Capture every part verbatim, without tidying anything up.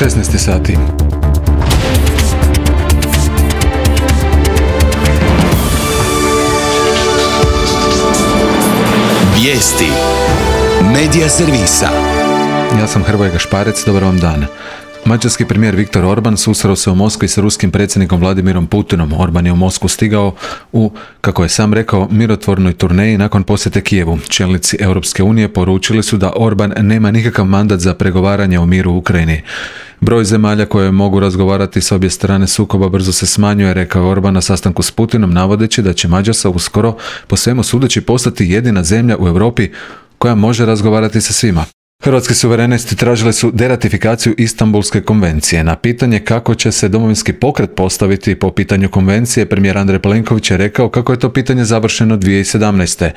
šesnaest sati. Vijesti Medija servisa. Ja sam Hrvoje Gašparec, dobar vam dan. Mađarski premijer Viktor Orban susreo se u Moskvi s ruskim predsjednikom Vladimirom Putinom. Orban je u Moskvu stigao u, kako je sam rekao, mirotvornoj turneji nakon posjete Kijevu. Čelnici Europske unije poručili su da Orban nema nikakav mandat za pregovaranje o miru u Ukrajini. Broj zemalja koje mogu razgovarati s obje strane sukoba brzo se smanjuje, rekao Orban na sastanku s Putinom, navodeći da će Mađarska uskoro po svemu sudeći postati jedina zemlja u Europi koja može razgovarati sa svima. Hrvatski suverenisti tražili su deratifikaciju Istanbulske konvencije. Na pitanje kako će se Domovinski pokret postaviti po pitanju konvencije, premijer Andrej Plenković je rekao kako je to pitanje završeno dvije tisuće sedamnaeste.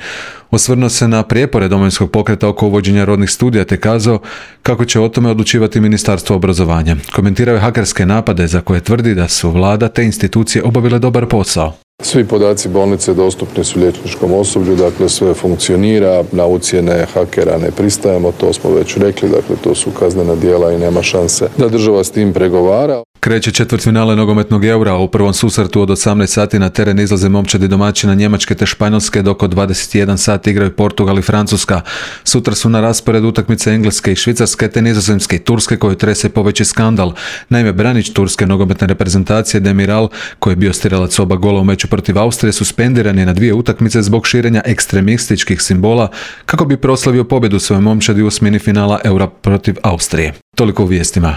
Osvrnuo se na prijepore Domovinskog pokreta oko uvođenja rodnih studija te kazao kako će o tome odlučivati Ministarstvo obrazovanja. Komentirao je hakerske napade za koje tvrdi da su vlada te institucije obavile dobar posao. Svi podaci bolnice dostupni su liječničkom osoblju, dakle sve funkcionira, na ucjene hakera ne pristajemo, to smo već rekli, dakle to su kaznena djela i nema šanse da država s tim pregovara. Kreće četvrtfinale nogometnog Eura, u prvom susretu od osamnaest sati na teren izlaze momčadi domaćina Njemačke te Španjolske, dok od dvadeset jedan sati igraju Portugal i Francuska. Sutra su na rasporedu utakmice Engleske i Švicarske te Nizozemske i Turske koju trese poveći skandal. Naime, branič turske nogometne reprezentacije Demiral, koji je bio strijelac oba gola u meču protiv Austrije, suspendiran je na dvije utakmice zbog širenja ekstremističkih simbola kako bi proslavio pobjedu svoje momčadi u osmini finala Eura protiv Austrije. Toliko u vijestima.